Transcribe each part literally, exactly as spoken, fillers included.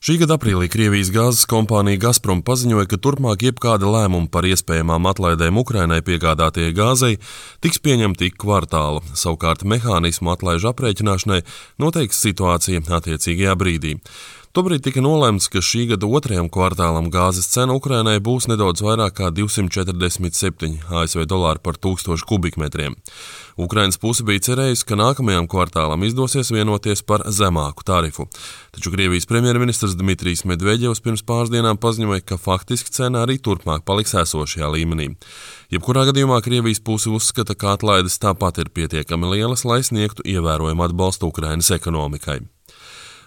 Šī gada aprīlī Krievijas gāzes kompānija Gazprom paziņoja, ka turpmāk jebkāda lēmuma par iespējamām atlaidēm Ukrainai piegādātajai gāzei tiks pieņemti ik kvartālu. Savukārt mehānismu atlaižu aprēķināšanai noteiks situācija attiecīgajā brīdī. Tobrīd tika nolemts, ka šī gada otrajam kvartālam gāzes cena Ukrainai būs nedaudz vairāk kā divsimt četrdesmit septiņi A S V dolāri par tūkstošu kubikmetriem. Ukrainas puse bija cerējusi, ka nākamajam kvartālam izdosies vienoties par zemāku tarifu. Taču Krievijas premjerministrs Dmitrijs Medvedjevs pirms pāris dienām paziņoja, ka faktiski cena arī turpmāk paliks esošajā līmenī. Jebkurā gadījumā Krievijas puse uzskata, ka atlaides tāpat ir pietiekami lielas, lai sniegtu ievērojumu atbalstu Ukrainas ekonomikai.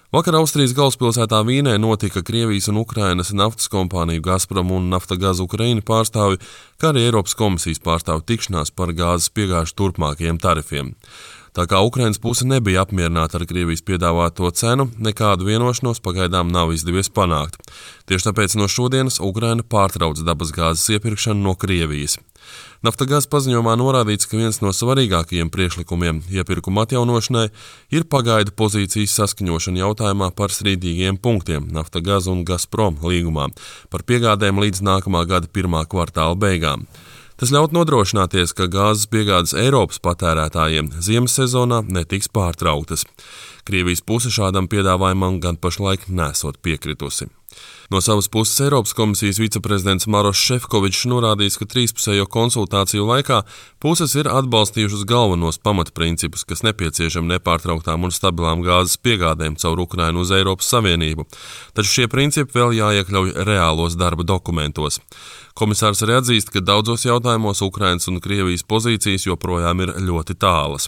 Vakar Austrijas galvaspilsētā Vīnē notika Krievijas un Ukrainas naftas kompāniju Gazprom un Naftagaz Ukraina pārstāvju, kā arī Eiropas komisijas pārstāvju tikšanās par gāzes piegāžu turpmākajiem tarifiem. Tā kā Ukrainas puse nebija apmierināta ar Krievijas piedāvāto cenu, nekādu vienošanos pagaidām nav izdevies panākt. Tieši tāpēc no šodienas Ukraina pārtrauc dabasgāzes iepirkšanu no Krievijas. Naftagaz paziņojumā norādīts, ka viens no svarīgākajiem priekšlikumiem iepirkuma atjaunošanai ir pagaidu pozīcijas saskaņošana jautājumā par strīdīgiem punktiem Naftagaz un Gazprom līgumā par piegādēm līdz nākamā gada pirmā kvartāla beigām. Tas ļaut nodrošināties, ka gāzes piegādes Eiropas patērētājiem ziemas sezonā netiks pārtrauktas. Krievijas puse šādam piedāvājumam gan pašlaik nesot piekritusi. No savas puses Eiropas komisijas viceprezidents Maroš Šefkovičs norādījis, ka trīspusējo konsultāciju laikā puses ir atbalstījušas galvenos pamatprincipus, kas nepieciešami nepārtrauktām un stabilām gāzes piegādēm caur Ukrainu uz Eiropas Savienību. Taču šie principi vēl jāiekļauj reālos darba dokumentos. Komisārs arī atzīst, ka daudzos jautājumos Ukrainas un Krievijas pozīcijas joprojām ir ļoti tālas.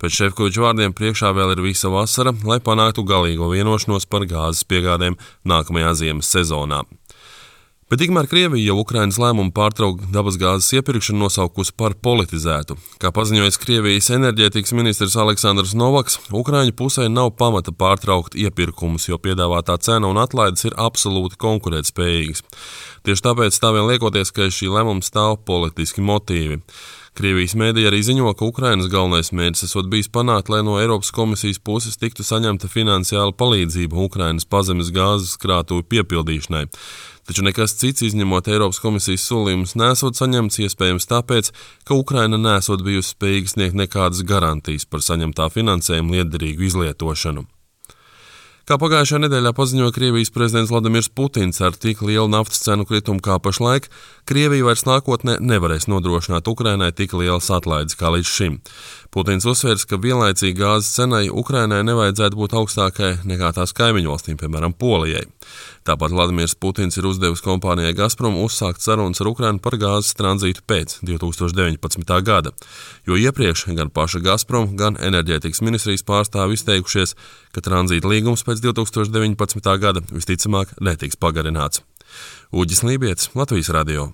Pēc Šefkoviča vārdiem priekšā vēl ir visa vasara, lai panāktu galīgo vienošanos par gāzes piegādēm nākamajā ziemas sezonā. Bet tikmēr Krievija jau Ukrainas lēmumu pārtraukt dabasgāzes iepirkšanu nosaukusi par politizētu. Kā paziņojis Krievijas enerģētikas ministrs Aleksandrs Novaks, Ukraiņu pusē nav pamata pārtraukt iepirkumus, jo piedāvātā cena un atlaides ir absolūti konkurētspējīgas. Tieši tāpēc tā vien liekoties, ka šī lēmuma stāv politiski motīvi. Krievijas mēdīja arī ziņo, ka Ukrainas galvenais mērķis esot bijis panākt, lai no Eiropas komisijas puses tiktu saņemta finansiāla palīdzība Ukrainas pazemes gāzes krātuvi piepildīšanai. Taču nekas cits, izņemot Eiropas komisijas solījumus, nesot saņemts, iespējams tāpēc, ka Ukraina nesot bijusi spējīga sniegt nekādas garantijas par saņemtā finansējuma lietderīgu izlietošanu. Kā pagājušajā nedēļā paziņoja Krievijas prezidents Vladimirs Putins, ar tik lielu naftas cenu kritumu kā pašlaik, Krievija vairs nākotnē nevarēs nodrošināt Ukrainai tik lielas atlaides kā līdz šim. Putins uzsvērs, ka vienlaicīgi gāzes cenai Ukrainai nevajadzētu būt augstākai nekā tās kaimiņu valstīm, piemēram, Polijai. Tāpat Vladimirs Putins ir uzdevis kompānijai Gazprom uzsākt sarunas ar Ukrainu par gāzes tranzītu pēc divi tūkstoši deviņpadsmitā gada, jo iepriekš gan paša Gazprom, gan enerģētikas ministrijas pārstāvi izteikušies, ka tranzīta līgums pēc divi tūkstoši deviņpadsmitā gada visticamāk netiks pagarināts. Uģis Lībietis, Latvijas radio.